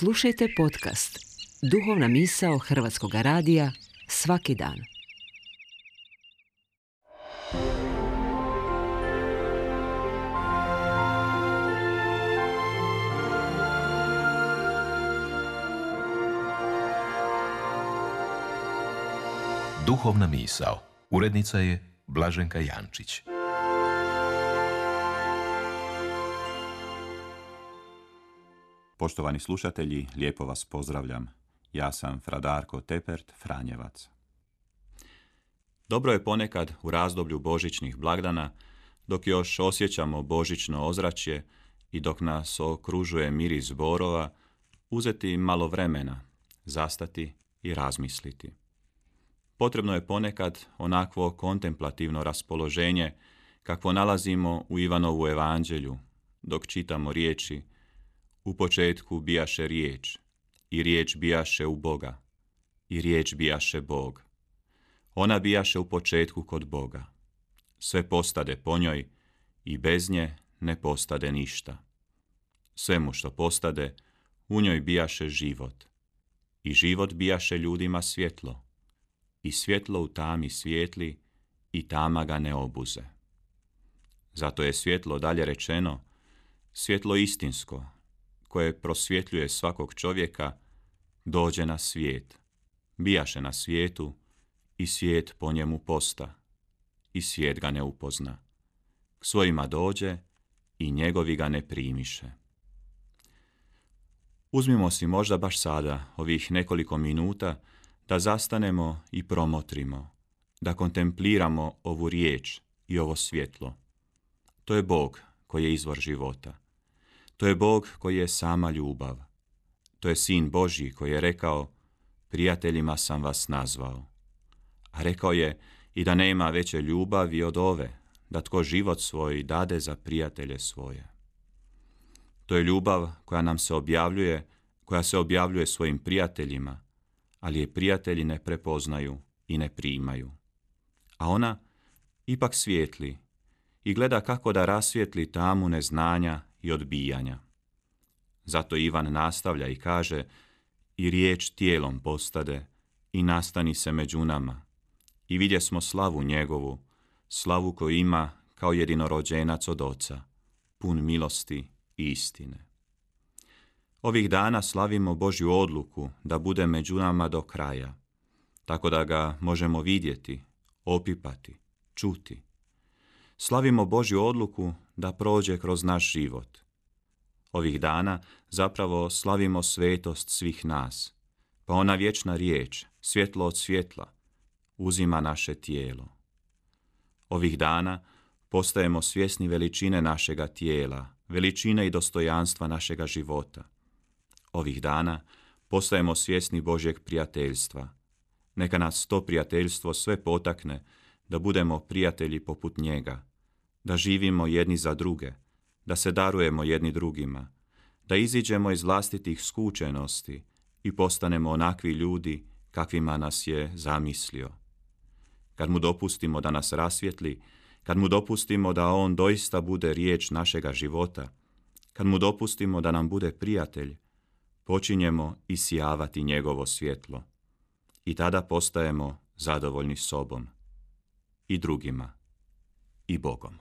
Slušajte podcast Duhovna misao Hrvatskog radija svaki dan. Duhovna misao. Urednica je Blaženka Jančić. Poštovani slušatelji, lijepo vas pozdravljam. Ja sam Fra Darko Tepert, Franjevac. Dobro je ponekad u razdoblju božićnih blagdana, dok još osjećamo božićno ozračje i dok nas okružuje miris borova, uzeti malo vremena, zastati i razmisliti. Potrebno je ponekad onakvo kontemplativno raspoloženje kakvo nalazimo u Ivanovu evanđelju, dok čitamo riječi: u početku bijaše riječ, i riječ bijaše u Boga, i riječ bijaše Bog. Ona bijaše u početku kod Boga. Sve postade po njoj, i bez nje ne postade ništa. Svemu što postade, u njoj bijaše život, i život bijaše ljudima svjetlo, i svjetlo u tami svijetli, i tama ga ne obuze. Zato je svjetlo, dalje rečeno, svjetlo istinsko, koje prosvjetljuje svakog čovjeka, dođe na svijet, bijaše na svijetu, i svijet po njemu posta, i svijet ga ne upozna. K svojima dođe, i njegovi ga ne primiše. Uzmimo si možda baš sada ovih nekoliko minuta da zastanemo i promotrimo, da kontempliramo ovu riječ i ovo svjetlo. To je Bog koji je izvor života. To je Bog koji je sama ljubav. To je Sin Božji koji je rekao: prijateljima sam vas nazvao. A rekao je i da nema veće ljubavi od ove, da tko život svoj dade za prijatelje svoje. To je ljubav koja nam se objavljuje, koja se objavljuje svojim prijateljima, ali je prijatelji ne prepoznaju i ne primaju. A ona ipak svijetli i gleda kako da rasvijetli tamu neznanja i odbijanja. Zato Ivan nastavlja i kaže: i riječ tijelom postade i nastani se među nama, i vidjesmo slavu njegovu, slavu koju ima kao jedinorođenac od Oca, pun milosti i istine. Ovih dana slavimo Božju odluku da bude među nama do kraja, tako da ga možemo vidjeti, opipati, čuti. Slavimo Božju odluku da prođe kroz naš život. Ovih dana zapravo slavimo svetost svih nas, pa ona vječna riječ, svjetlo od svjetla, uzima naše tijelo. Ovih dana postajemo svjesni veličine našega tijela, veličine i dostojanstva našega života. Ovih dana postajemo svjesni Božjeg prijateljstva. Neka nas to prijateljstvo sve potakne da budemo prijatelji poput njega, da živimo jedni za druge, da se darujemo jedni drugima, da iziđemo iz vlastitih skučenosti i postanemo onakvi ljudi kakvima nas je zamislio. Kad mu dopustimo da nas rasvijetli, kad mu dopustimo da on doista bude riječ našega života, kad mu dopustimo da nam bude prijatelj, počinjemo isijavati njegovo svjetlo. I tada postajemo zadovoljni sobom, i drugima, i Bogom.